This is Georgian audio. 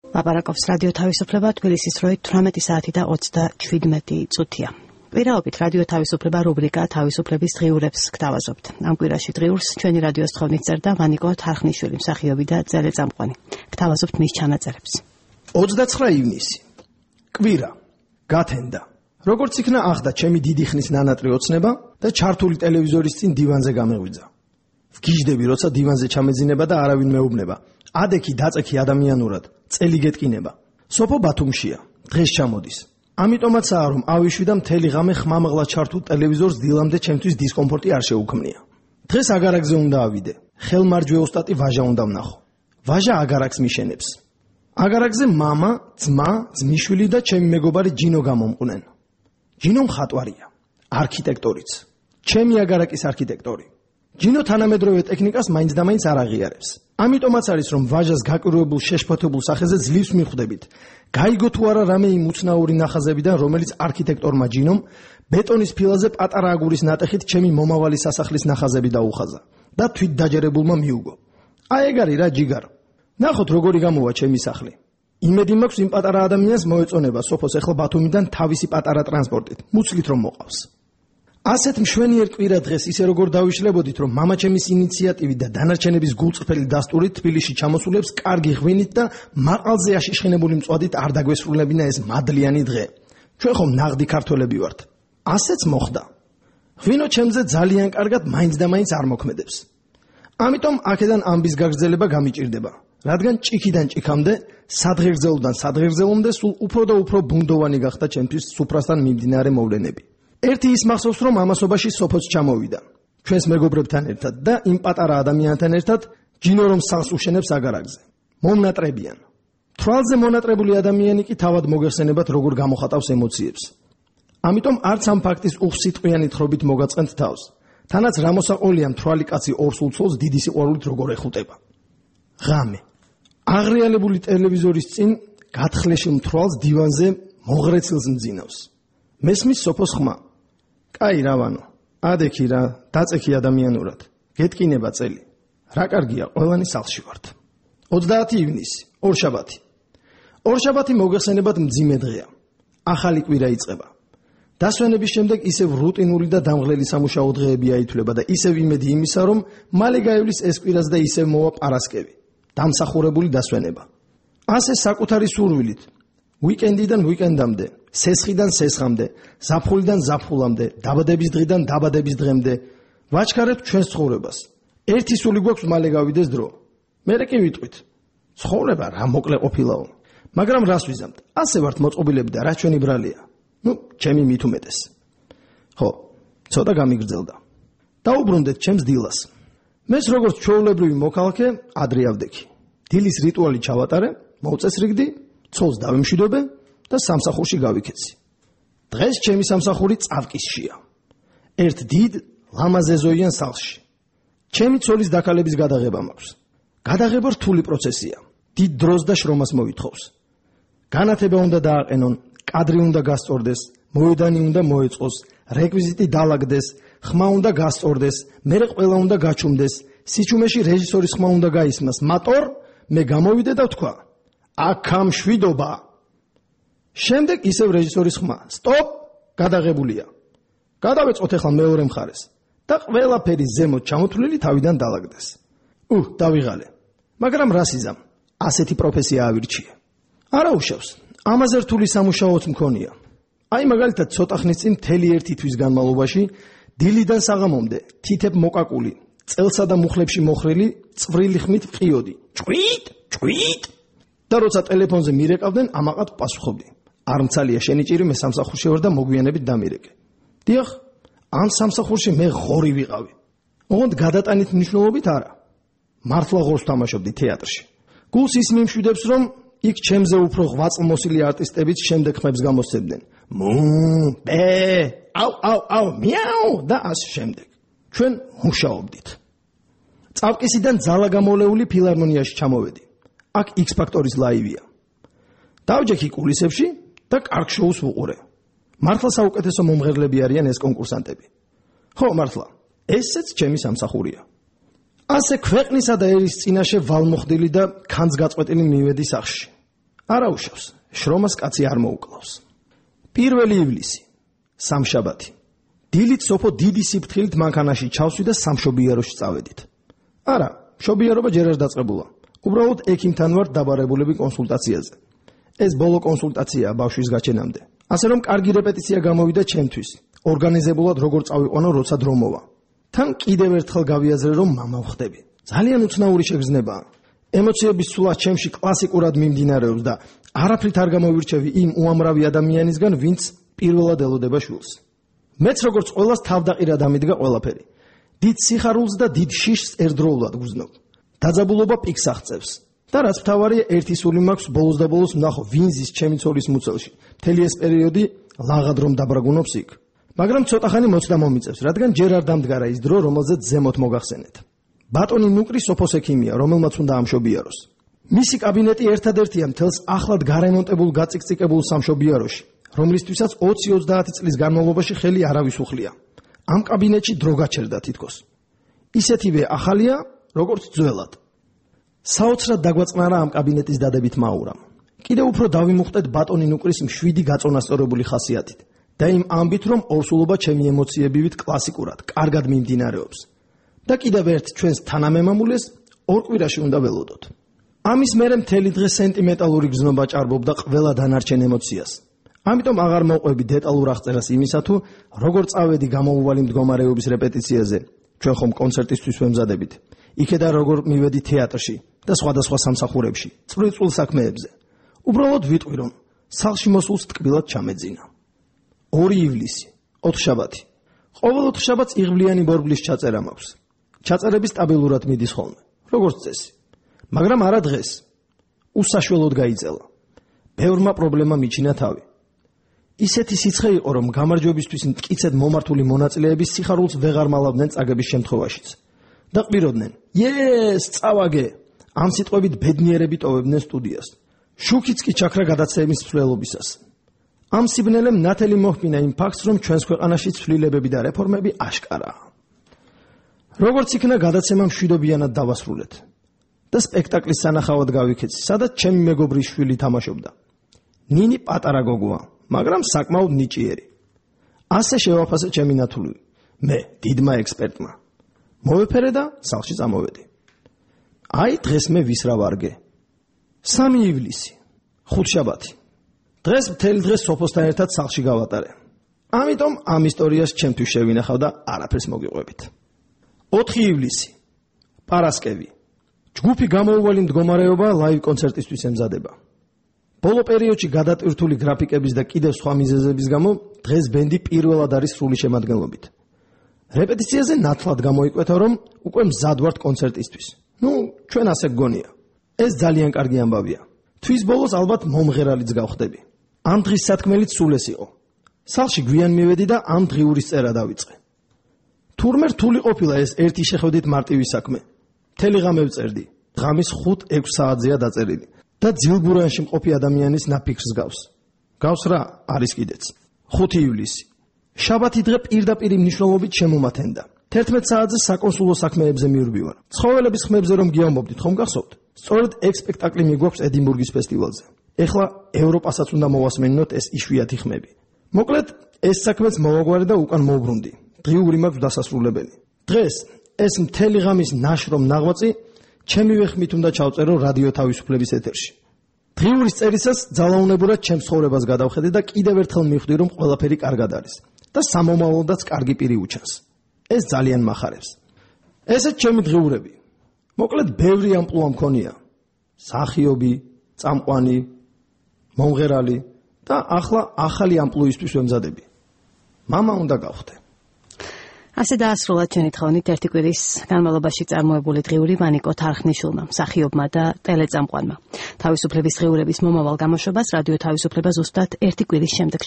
ლაპარაკობს რადიო თავისუფლება, თბილისის დროით 18 საათი და 37 წუთია. Პირაობით რადიო თავისუფლება რუბრიკა თავისუფლების დღიურებს გთავაზობთ. Ამ კვირაში დღიურს ჩვენი რადიოს თხოვნით წერდა ვანიკო თარხნიშვილი, მსახიობი და ძელეწამყვანი. გთავაზობთ მის ჩანაწერებს. 29 ივნისი. კვირა. გათენდა. როგორც იქნა ახდა ჩემი დიდი ხნის ნანატრი ოცნება და ჩართული ტელევიზორის წინ დივანზე გამეღვიძა. ვგიჟდები, როცა დივანზე ჩამეძინება და არავინ მეუბნება. ადექი დაწექი ადამიანურად, წელი გეტკინება. სოფო ბათუმშია, დღეს ჩამოდის. ამიტომაცაა რომ ავიშვი და მთელი ღამე ხმამაღლა ჩართულ ტელევიზორს დილამდე ჩემთვის დისკომფორტი არ შეუქმნია. დღეს აგარაკზე უნდა ავიდე. ხელმარჯვე ოსტატი ვაჟა უნდა ვნახო. ვაჟა აგარაკს მიშენებს. აგარაკზე მამა, ძმა, ძმიშვილი და ჩემი მეგობარი ჯინო გამომყვნენ. ჯინო მხატვარია, არქიტექტორიც. ჩემი აგარაკის არქიტექტორი. ჯინო თანამედროვე ტექნიკას მაინც და მაინც არ აღიარებს. ამიტომაც არის რომ ვაჟას გაკურებულ შეშფოთებულ სახეზე ძლივს მიხვდებით. გაიგო თუ არა რამე იმ უცნაური ნახაზებიდან, რომელიც არქიტექტორმა ჯინომ ბეტონის ფილაზე პატარა აგურის ნატეხით ჩემი მომავალი სასახლის ნახაზები დაუხაზა და თვით დაჯერებულმა მიუგო. აი ეგ არის რა ჯიგარ. ნახოთ როგორი გამოვა ჩემი სახლი. იმედი მაქვს იმ პატარა ადამიანს მოეწონება სოფოს ეხლა ბათუმიდან თავისი პატარა ტრანსპორტით. მუცლით რომ მოყავს. ასეთ მშვენიერ კვირა დღეს ისე როგორ დავიშლებოდით, რომ მამაჩემის ინიციატივით და დანარჩენების გულწრფელი დასტურით თბილისში ჩამოსულებს კარგი ღვინით და მაყალზე აშიშხინებული მწვადით არ დაგვესრულებინა ეს მადლიანი დღე. ჩვენ ხომ ნაღდი ქართველები ვართ. ასეც მოხდა. ღვინო ჩემზე ძალიან კარგად მაინც და მაინც არ მოქმედებს. ამიტომ აქედან ამბის გაგრძელება გამიჭირდება, რადგან ჭიქიდან ჭიქამდე, სადღეგრძელოდან სადღეგრძელომდე სულ უფრო და უფრო ბუნდოვანი გახდა ჩემთვის სუფრასთან მიმდინარე მოვლენები. ერთი ის მახსოვს რომ ამასობაში სოფოც ჩამოვიდა ჩვენს მეგობრებთან ერთად და იმ პატარა ადამიანთან ერთად ჯინო რომ სახლს უშენებს აგარაკზე. მომნატრებიან. თვალზე მონატრებული ადამიანი კი თავად მოგეხსენებათ როგორ გამოხატავს ემოციებს. ამიტომ არც ამ ფაქტის უხსიტყვიანი თხრობით მოგაწყენთ თავს. თანაც რამოსაყოლია მთვრალი კაცი ორს უცოლს დიდი სიყვარულით როგორ ეხუტება. ღამე. აღრიალებული ტელევიზორის წინ გათხლეშილ მთვრალს დივანზე მოღრეცილს მძინავს. მესმის სოფოს ხმა. კაი რავანო, ადექი რა, დაწექი ადამიანურად. გეტკინება წელი. რა კარგია, ყველანი სახლში ვართ. 30 ივნისი, ორშაბათი. ორშაბათი მოგეხსენებათ მძიმე დღეა. ახალი კვირა იწყება. დასვენების შემდეგ ისევ რუტინული და დამღლელი სამუშაო დღეები აითვლება და ისევ იმედი იმისა, რომ მალე გაივლის ეს კვირაც და ისევ მოვა პარასკევი. დამსახურებული დასვენება. ასე საკუთარი სურვილით. ვიკენდიდან ვიკენდამდე, სესხიდან სესხამდე, ზაფხულიდან ზაფხულამდე, დაბადების დღიდან დაბადების დღემდე ვაჩქარებთ ჩვენს ცხოვრებას. ერთი სული გვაქვს მალე გავიდეს დრო. მერე კი ვიტყვით. ცხოვრება რა მოკლე ყოფილაო. მაგრამ რას ვიზამთ? ასე ვართ მოწყობილები და რა ჩვენი ბრალია. ჩემი მით უმეტეს. ხო, ცოტა გამიგრძელდა. დაუბრუნდეთ ჩემს დილას. მეს როგორც ჩვეულებრივი მოქალაქე ადრე ავდექი. დილის რიტუალი ჩავატარე, მოვწესრიგდი, ცოლს დავემშვიდობე და სამსახურში გავიქეცი. დღეს ჩემი სამსახური წავკისშია. ერთ დიდ ლამაზეზოიან სახლში. ჩემი ცოლის დაკალების გადაღება მაქვს. გადაღება რთული პროცესია. დიდ დროს და შრომას მოითხოვს. განათება უნდა დააყენონ, კადრი უნდა გასწორდეს, მოედანი უნდა მოეწყოს, რეკვიზიტი დაალაგდეს, ხმა უნდა გასწორდეს, მერე ყველა უნდა გაჩუმდეს, სიჩუმეში რეჟისორის ხმა უნდა გაისმას. მატორ მე გამოვიდე და ვთქვა აქა მშვიდობა. შემდეგ ისევ რეჟისორის ხმა. სტოპ, გადაღებულია. გადავეწყოთ ახლა მეორე მხარეს და ყველაფერი ზემოთ ჩამოთვლილი თავიდან დაალაგდეს. დავიღალე. მაგრამ რას იზამ? ასეთი პროფესია ავირჩიე. არა უშავს. ამაზე რთული სამუშაოც მქონია. აი მაგალითად ცოტა ხნის წინ მთელი ერთი თვის განმავლობაში დილიდან საღამომდე თითებ მოკაკული, წელსა და მუხლებში მოხრილი, წვრილი ხმით ვყიოდი. ჭვით. და როცა ტელეფონზე მირეკავდნენ, ამაყად პასუხობდი. არ მცალია შენი ჭირი, მე სამსახურში ვარ და მოგვიანებით დამირეკე. დიახ, ამ სამსახურში მე ღორი ვიყავი. ოღონდ გადატანით მნიშვნელობით არა. მართლა ღორს თამაშობდი თეატრში. გულს ის მიმშვიდებს, რომ იქ ჩემზე უფრო ღვაწლმოსილი არტისტებიც შემდეგ ხმებს გამოსცემდნენ. აუ, მიაუ და ასე შემდეგ. ჩვენ მუშაობდით. წავკისიდან ძალა გამოლეული ფილარმონიაში ჩამოვედი. აქ X ფაქტორის ლაივია. დავჯექი კულისებში და კარგ შოუს ვუყურე. მართლა საუკეთესო მომღერლები არიან ეს კონკურსანტები. ხო, მართლა. ესეც ჩემი სამსახურია. ასე ქვეყნისა და ერის წინაშე ვალმოხდილი და ქანს გაწყვეტილი მივედი სახლში. არაუშავს, შრომას კაცი არ მოუკლავს. 1 ივლისი, სამშაბათი. დილით სოფო დიდი სიფრთხილით მანქანაში ჩავსვი და სამშობიაროში წავედით. არა, მშობიარობა ჯერ არ დაწყებულა. უბრალოდ ექიმთან ვარ დაბარებულები კონსულტაციაზე. ეს ბოლო კონსულტაციაა ბავშვის გაჩენამდე. ასე რომ კარგი რეპეტიცია გამოვიდა ჩემთვის. ორგანიზებულად როგორ წავიყვანო, როცა დრო მოვა. თან კიდევ ერთხელ გავიაზრე, რომ მამა ვხდები. ძალიან უცნაური შეგრძნებაა. ემოციების სულა ჩემში კლასიკურად მიმდინარეობს და არაფრით არ გამოვირჩევი იმ უამრავი ადამიანისგან, ვინც პირველად ელოდება შვილს. მეც როგორც ყველას თავდაყირა დამიდგა ყველაფერი. დიდ სიხარულს და დიდ შიშს ერთდროულად გრძნობ. დაძაბულობა პიკს აღწევს. და რაც მთავარია, ერთი სული მაქვს ბოლოს და ბოლოს ვნახო ვინზის ჩემი ცოლის მუცელში. მთელი ეს პერიოდი ლაღად რომ დაბრაგუნობს იქ. მაგრამ ცოტა ხანი მოცდა მომიწევს, რადგან ჯერ არ დამდგარა ის დრო, რომელზეც ზემოთ მოგახსენეთ. ბატონი ნუკრი სოფოს ექიმია, რომელმაც უნდა ამშობიაროს. მისი კაბინეტი ერთადერთია მთელს ახლად გარემონტებულ გაწიკწიკებულ სამშობიაროში, რომლისთვისაც 20-30 წლის განმავლობაში ხელი არავის უხლია. ამ კაბინეტში დრო გაჩერდა თითქოს. ისეთივე ახალია, როგორც ძველად. საოცრად დაგვაწყნარა ამ კაბინეტის დადებით მაურამ. კიდევ უფრო დავიმუხტეთ ბატონი ნუკრის მშვიდი გაწონასწორებული ხასიათით და იმ ამბით, რომ ორსულობა ჩემი ემოციებივით კლასიკურად, კარგად მიმდინარეობს. და კიდევ ერთ ჩვენს თანამემამულეს ორ კვირაში უნდა ველოდოთ. ამის მერე მთელი დღე სენტიმენტალური გზნობა ჭარბობდა ყველა დანარჩენ ემოციას. ამიტომ აღარ მოყვები დეტალურ აღწერას იმისა, თუ როგორ წავედი გამოუვალი მდგომარეობის რეპეტიციაზე, ჩვენ ხომ კონცერტისთვის ვემზადებით. იქედან როგორ მივედი თეატრში და სხვადასხვა სამსახურებში, წვრილ საქმეებზე. უბრალოდ ვიტყვი, რომ სახლში მოსულს ტკბილად ჩამეძინა. 2 ივლისი, ოთხშაბათი. ყოველ ოთხშაბათს იღბლიანი ბორბლის ჩაწერა მაქვს. ჩაწერები სტაბილურად მიდის ხოლმე, როგორც წესი. მაგრამ არა დღეს. უსაშველოდ გაიწელა. ბევრმა პრობლემა მიჩინა თავი. ისეთი სიცხე იყო, რომ გამარჯვებისთვის მტკიცედ მომართული მონაწილეები სიხარულს ვეღარ მალავდნენ წაგების შემთხვევაშიც. და ყვიროდნენ: "იეს, წავაგე!" ამ სიტყვებით ბედნიერები ტოვებდნენ სტუდიას. შუქიც კი ჩაქრა გადაცემის ცვლილობისას. ამ სიბნელემ ნათელი მოჰკინა იმ ფაქტს, რომ ჩვენს ქვეყანაში ცვლილებები და რეფორმები აშკარაა. როგორც იქნა გადაცემა მშვიდობიანად დავასრულეთ და სპექტაკლის სანახავად გავიქეცი, სადაც ჩემი მეგობრის შვილი თამაშობდა. ნინი პატარა გოგოა, მაგრამ საკმაოდ ნიჭიერი. ასე შევაფასე ჩემი ნათული. მე დიდმა ექსპერტმა. მოვეფერე და სახლში წამოვედი. აი დღეს მე ვისრა ვარგე. 3 ივლისი, ხუთშაბათი. დღეს მთელი დღე სოფოსთან ერთად სახლში გავატარე. ამიტომ ამ ისტორიას ჩემთვის შევინახავ და არაფერს მოგიყვებით. 4 ივლისი, პარასკევი. ჯგუფი გამოუვალი მდგომარეობა ლაივ კონცერტისთვის ემზადება. ბოლო პერიოდში გადატვირთული გრაფიკების და კიდევ სხვა მიზეზების გამო დღეს ბენდი პირველად არის სრული შემადგენლობით. რეპეტიციაზე ნათლად გამოიკვეთა, რომ უკვე მზად ვართ კონცერტისთვის. ჩვენ ასე გგონია. ეს ძალიან კარგი ამბავია. თვის ბოლოს ალბათ მომღერალიც გავხდები. ამ დღის სათქმელიც სულ ეს იყო. სახლში გვიან მივედი და ამ დღიურის წერა დავიწყე. თურმე რთული ყოფილა ეს ერთი შეხვედრით მარტივი საქმე. მთელი ღამე ვწერდი. ღამის 5-6 საათზეა დაწერილი და ძილბურანში მყოფი ადამიანის ნაფიქრს გავს. გავს რა არის კიდეც. 5 ივლისი. შაბათი დღე პირდაპირ მნიშვნელობით შემომათენდა. 11 საათზე საკონსულო საქმეებზე მივდივარ. ცხოველების ხმებზე რომ გიამბობდით, ხომ გახსოვთ? სწორედ ეგ სპექტაკლი მიგვაქვს ედინბურგის ფესტივალზე. ეხლა ევროპასაც უნდა მოვასმენინოთ ეს იშვიათი ხმები. მოკლედ, ეს საქმეც მოვაგვარე და უკან მოვბრუნდი. დღიური მაქვს დასასრულებელი. დღეს ეს მთელი ღამის ნაშრომ ნაღვაწი ჩემივე ხმით უნდა ჩავწერო რადიო თავისუფლების ეთერში. დღიურის წერისას ძალაუნებურად ჩემს ცხოვრებას გადავხედე და კიდევ ერთხელ მივხვდი, რომ ყველაფერი კარგად არის და სამომავლოდაც კარგი პირი უჩანს. ეს ძალიან მახარებს. ესეც ჩემი დღიურები. მოკლედ ბევრი ამპლუა მქონია. მსახიობი, წამყვანი, მომღერალი და ახლა ახალი ამპლუისთვის ვემზადები. მამა უნდა გავხდე. ასე დაასრულა ჩვენი თხოვნით ერთი კვირის განმავლობაში წარმოებული დღიური ვანიკო თარხნიშვილმა, მსახიობმა და ტელეწამყვანმა. თავისუფლების დღიურების მომავალ გამოშვებას რადიო თავისუფლება ზუსტად ერთი კვირის შემდეგ